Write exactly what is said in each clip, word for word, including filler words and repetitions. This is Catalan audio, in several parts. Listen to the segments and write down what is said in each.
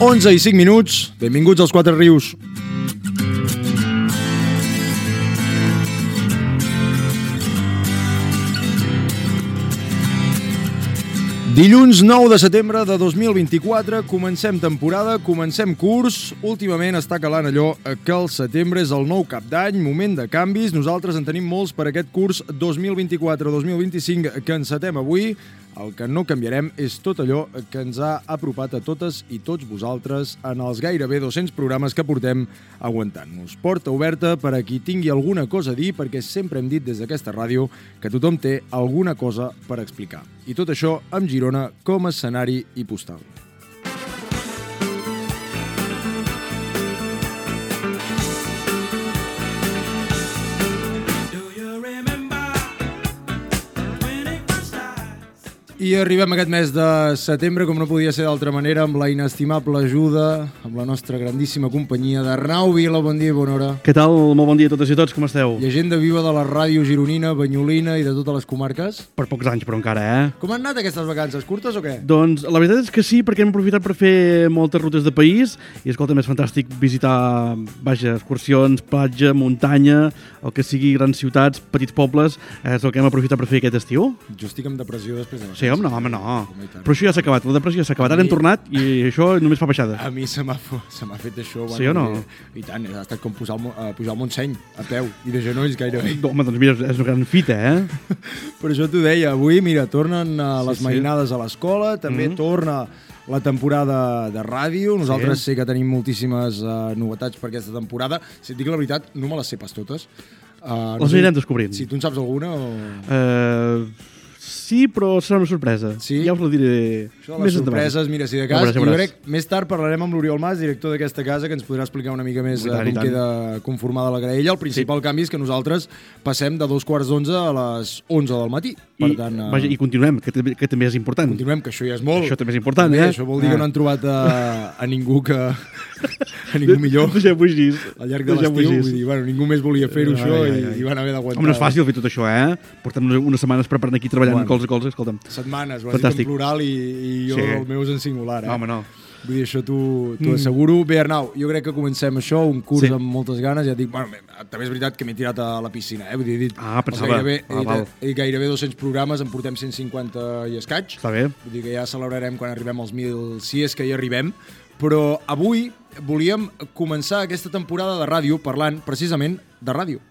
onze i cinc minuts. Benvinguts als Quatre Rius. Dilluns nou de setembre de dos mil vint-i-quatre, comencem temporada, comencem curs. Últimament està calant allò que el setembre és el nou cap d'any, moment de canvis. Nosaltres en tenim molts per aquest curs dos mil vint-i-quatre dos mil vint-i-cinc que encetem avui. El que no canviarem és tot allò que ens ha apropat a totes i tots vosaltres en els gairebé dos-cents programes que portem aguantant-nos. Porta oberta per a qui tingui alguna cosa a dir, perquè sempre hem dit des d'aquesta ràdio que tothom té alguna cosa per explicar. I tot això amb Girona com a escenari i postal. I arribem aquest mes de setembre, com no podia ser d'altra manera, amb la inestimable ajuda, amb la nostra grandíssima companyia d'Arnau Vila. Bon dia i bona hora. Què tal? Molt bon dia a totes i tots, com esteu? Llegenda viva de la ràdio gironina, banyolina i de totes les comarques. Per pocs anys, però encara, eh? Com han anat aquestes vacances? Curtes o què? Doncs la veritat és que sí, perquè hem aprofitat per fer moltes rutes de país i, escolta, és fantàstic visitar, vaja, excursions, platja, muntanya, el que sigui grans ciutats, petits pobles, és el que hem aprofitat per fer aquest estiu. Jo estic amb depressió després de vacances. Sí, home, no, home, no. Però això ja s'ha acabat, la depressió s'ha acabat. Ara hem tornat i això només fa baixada. A mi se m'ha se m'ha fet això. Sí o no? I tant, ha estat com pujar al, uh, pujar al Montseny, a peu, i de genolls gairebé. Home, doncs mira, és una gran fita, eh? Per això t'ho deia, avui, mira, tornen uh, les sí, mainades sí. a l'escola, també mm-hmm. torna la temporada de ràdio. Nosaltres sí. sé que tenim moltíssimes uh, novetats per aquesta temporada. Si et dic la veritat, no me les sé pas totes. Uh, no les anirem descobrint. Si tu en saps alguna o... Uh... Sí, però serà una sorpresa. Sí? Ja us la diré Això de les sorpreses, endavant. Mira, si de cas, ja veuràs, ja jo crec, més tard parlarem amb l'Oriol Mas, director d'aquesta casa, que ens podrà explicar una mica més tant, com queda conformada la graella. El principal sí. canvi és que nosaltres passem de dos quarts d'onze a les onze del matí. Per I, tant, uh... vaja, i continuem, que, que també és important. Continuem, que això ja és molt. Això també és important, també, eh? Això vol dir ah. que no han trobat a, a ningú que... a ningú millor. Deixem-ho així. Al llarg de l'estiu, vull dir, bueno, ningú més volia fer-ho això ai, ai, ai. I, i van haver d'aguantar. Home, no és fàcil fer tot això, eh? Portem unes setmanes preparant aquí, treballant bueno. colze a colze, escolta'm. Setmanes, ho has dit en plural i, i jo sí. el meu és en singular, eh? No, home, no. Vull dir, això t'ho mm. asseguro. Bé, Arnau, jo crec que comencem això, un curs sí. amb moltes ganes. Ja dic, bueno, també és veritat que m'he tirat a la piscina, eh? Vull dir, he dit, ah, pensava. Gairebé, ah, he, dit, he dit gairebé dos-cents programes, en portem cent cinquanta i escaig. Està bé. Vull dir que ja celebrarem quan arribem als mil, si és que hi arribem. Però avui volíem començar aquesta temporada de ràdio parlant precisament de ràdio.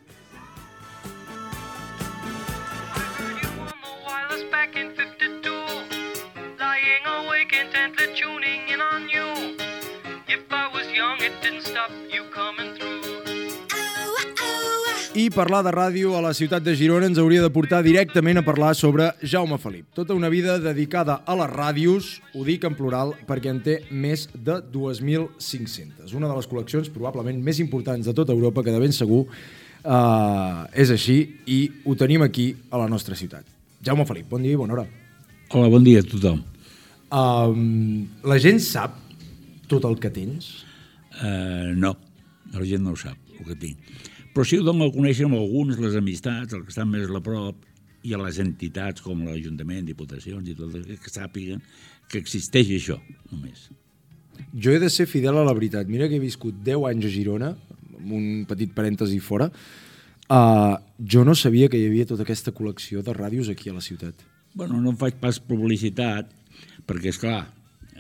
I parlar de ràdio a la ciutat de Girona ens hauria de portar directament a parlar sobre Jaume Felip. Tota una vida dedicada a les ràdios, ho dic en plural perquè en té més de dos mil cinc-centes. Una de les col·leccions probablement més importants de tota Europa, que de ben segur uh, és així, i ho tenim aquí a la nostra ciutat. Jaume Felip, bon dia i bona hora. Hola, bon dia a tothom. Um, la gent sap tot el que tens? Uh, no, la gent no ho sap, el que tinc. Però sí ho dono a conèixer amb alguns, les amistats, els que estan més a la prop, i a les entitats com l'Ajuntament, diputacions i tot, que sàpiguen que existeix això, només. Jo he de ser fidel a la veritat. Mira que he viscut deu anys a Girona, amb un petit parèntesi fora. Uh, jo no sabia que hi havia tota aquesta col·lecció de ràdios aquí a la ciutat. Bueno, no en faig pas publicitat, perquè, esclar,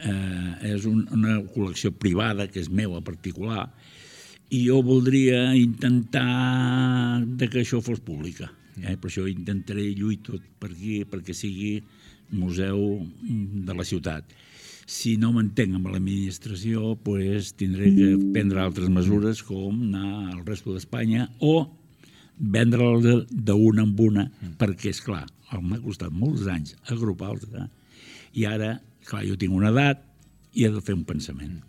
eh, és un, una col·lecció privada, que és meva, particular, i jo voldria intentar de que això fos pública. Eh? Per això intentaré lluitar tot per aquí perquè sigui museu de la ciutat. Si no m'entenc amb l'administració, pues, tindré que prendre altres mesures com anar al resto d'Espanya o vendre-la d'una en una, perquè, esclar, m'ha costat molts anys agrupar-los, eh? I ara, clar, jo tinc una edat i he de fer un pensament.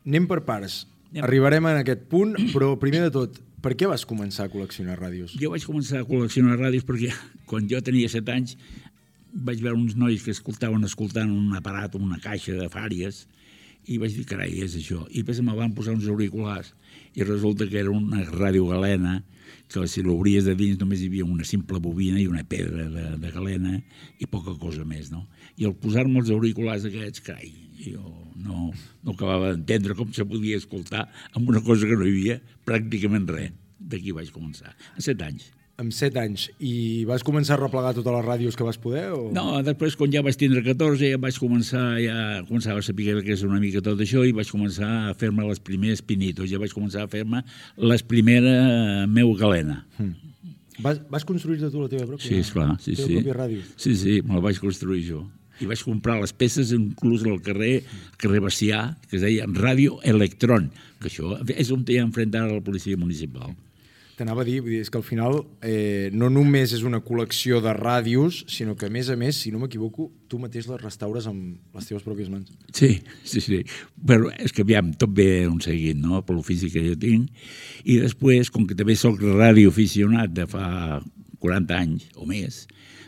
Anem per parts. Arribarem en aquest punt, però primer de tot, per què vas començar a col·leccionar ràdios? Jo vaig començar a col·leccionar ràdios perquè quan jo tenia set anys vaig veure uns nois que escoltaven escoltant un aparat o una caixa de fàries i vaig dir, carai, és això. I després me van posar uns auriculars i resulta que era una ràdio galena que si l'obries de dins només hi havia una simple bobina i una pedra de, de galena i poca cosa més, no? I al posar-me els auriculars aquests, carai, jo no, no acabava d'entendre com se podia escoltar amb una cosa que no hi havia pràcticament res. D'aquí vaig començar, a set anys. Amb set anys. I vas començar a replegar totes les ràdios que vas poder? O... No, després, quan ja vaig tindre catorze, ja vaig començar, ja començava a saber que és una mica tot això, i vaig començar a fer-me les primers pinitos, ja vaig començar a fer-me les primeres meu galena. Mm. Vas, vas construir-te tu la teva pròpia? Sí, esclar, sí, la teva sí. pròpia ràdio? Sí, sí, me la vaig construir jo. I vaig comprar les peces inclús al carrer, carrer Bacià, que es deia Ràdio Electrón, que això és on hi ha enfrent ara la policia municipal. T'anava a dir, vull dir, és que al final eh, no només és una col·lecció de ràdios, sinó que, a més a més, si no m'equivoco, tu mateix les restaures amb les teves pròpies mans. Sí, sí, sí. Però és que, aviam, tot ve un seguit, no?, per l'ofici que jo tinc. I després, com que també soc radioaficionat de fa quaranta anys o més,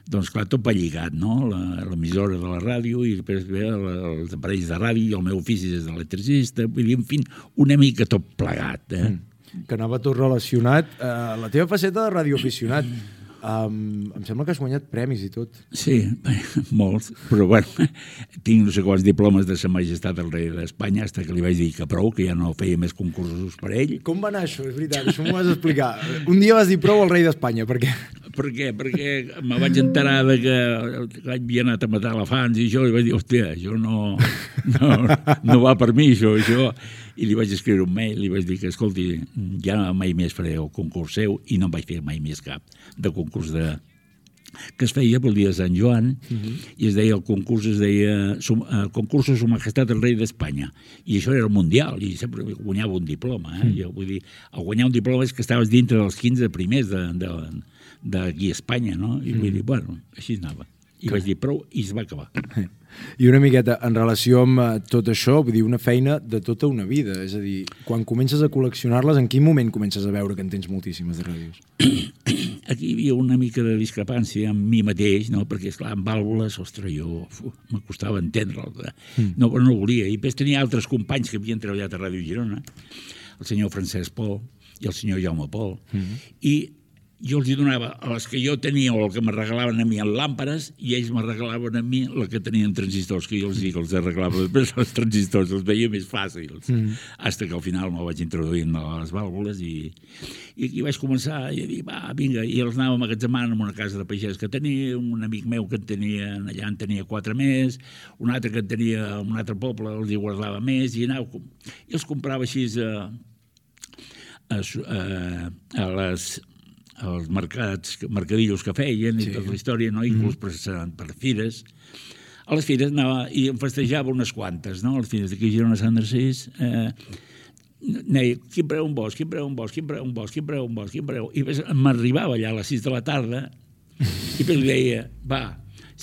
doncs, clar, tot va lligat, no?, l'emissora de la ràdio i després ve els aparells de ràdio i el meu ofici és d'electricista, vull dir, en fi, una mica tot plegat, eh? Mm. Que anava tot relacionat. Uh, la teva faceta de radioaficionat, um, em sembla que has guanyat premis i tot. Sí, molts, però bueno, tinc no sé quants diplomes de Sa Majestat del Rei d'Espanya, fins que li vaig dir que prou, que ja no feia més concursos per ell. Com va anar això? És veritat, això m'ho has d'explicar. Un dia vas dir prou al Rei d'Espanya, per què? Per què? Perquè me vaig enterar de que havia anat a matar elefants i això, i vaig dir, hòstia, això no, no, no va per mi, això, això. I li vaig escriure un mail, li vaig dir que, escolti, ja mai més faré el concurs seu, i no em vaig fer mai més cap de concurs de... que es feia pel dia de Sant Joan, uh-huh. i es deia, el concurs es deia el concurs de Su Majestat el Rei d'Espanya, i això era el mundial, i sempre guanyava un diploma, eh? Jo vull dir, el guanyar un diploma és que estaves dintre dels quinze primers de, de, d'aquí a Espanya, no? I vull dir, bueno, així anava. I vaig dir prou, i es va acabar. I una miqueta, en relació amb tot això, vull dir, una feina de tota una vida, és a dir, quan comences a col·leccionar-les, en quin moment comences a veure que en tens moltíssimes de ràdios? Aquí hi havia una mica de discrepància amb mi mateix, no? Perquè, esclar, amb vàlvules, ostres, jo me costava entendre-ho, no, no volia. I després tenia altres companys que havien treballat a Ràdio Girona, el senyor Francesc Pol i el senyor Jaume Pol, mm-hmm. i jo els hi donava a les que jo tenia o el que me regalaven a mi en làmperes i ells me regalaven a mi el que tenien transistors, que jo els dic, els arreglava després els transistors, els veia més fàcils, mm. Hasta que al final me'l vaig introduir en les vàlvules i, i aquí vaig començar a dir, va, vinga, i els anava emmagatzemant en una casa de pagès que tenia, un amic meu que en tenia, allà en tenia quatre més, un altre que en tenia en un altre poble, els hi guardava més, i anava, i els comprava així a, a, a, a les... els mercats, mercadillos que feien i sí. Tota la història, no? Inclús mm. per fires. A les fires anava i em festejava unes quantes, no? A les fires d'aquí a Girona Sant Narcís, eh, deia, quin preu un bosc, quin preu un bosc, quin preu un bosc, quin preu un bosc, quin preu... I m'arribava allà a les sis de la tarda i li deia, va,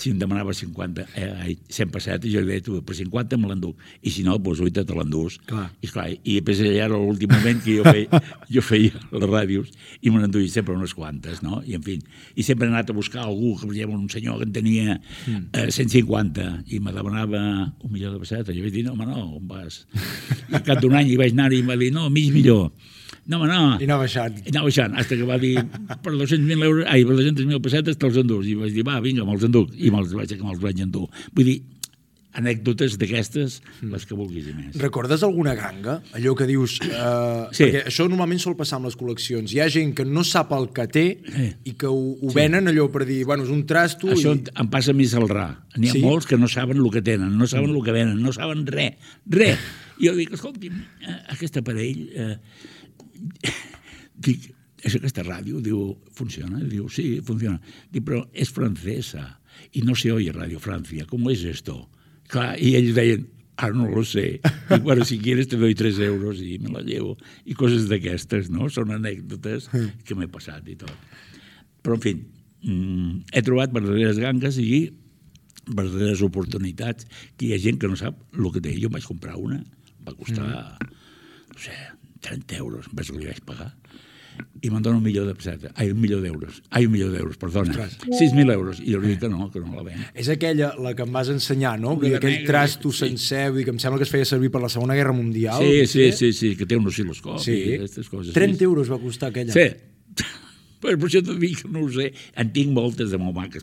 si em demanava cinquanta, eh, cent pessetes, jo li deia, tu, per cinquanta me l'enduc, i si no, doncs oita te l'endús. I, esclar, i després allà era l'últim moment que jo feia, jo feia les ràdios i me n'enduia sempre unes quantes, no? I, en fi, i sempre he anat a buscar algú, que per exemple, un senyor que en tenia eh, cent cinquanta i me demanava un milió de pessetes. Jo vaig dir, no, home, no, on vas? I al cap d'un any hi vaig anar i em va dir, no, mig milió. No, home, no. I anava baixant. I anava baixant, fins que va dir, per dos-cents mil euros, ai, per dos-centes mil pessetes te'ls endús. I vaig dir, va, vinga, me'ls enduc. I me'ls vaig, me'ls vaig endur. Vull dir, anècdotes d'aquestes, les que vulguis i més. Recordes alguna ganga? Allò que dius... Eh, sí. Perquè això normalment sol passar amb les col·leccions. Hi ha gent que no sap el que té sí. I que ho, ho sí. Venen allò per dir, bueno, és un trasto... Això i... em passa a mi al Ra. N'hi ha sí? Molts que no saben el que tenen, no saben el que venen, no saben res, res. I jo dic, escolti, aquest aparell... Eh, dic, és aquesta ràdio? Diu, funciona? Diu, sí, funciona. Dic, però és francesa i no se oye Radio Francia. ¿Cómo es esto? Clar, i ells deien, ara no lo sé. Dic, bueno, si quieres te doy tres euros i me la llevo. I coses d'aquestes, no? Són anècdotes que m'he passat i tot. Però, en fi, he trobat verdaderes gangues i verdaderes oportunitats que hi ha gent que no sap el que té. Jo vaig comprar una, va costar, no sé, trenta euros, em penso que li vaig pagar, i me'n dona un milió de pessetes, ai, un milió d'euros, ai, un milió d'euros, perdona, sis mil euros, i jo li dic que no, que no la ven. És aquella, la que em vas ensenyar, no? Vull dir, aquell trasto sencer, vull dir, que em sembla que es feia servir per la Segona Guerra Mundial. Sí, sí, sí, sí, que té un oscil·loscopi sí. I aquestes coses. trenta euros va costar aquella. Sí, però per això t'ho dic que no ho sé, en tinc moltes de molt maques,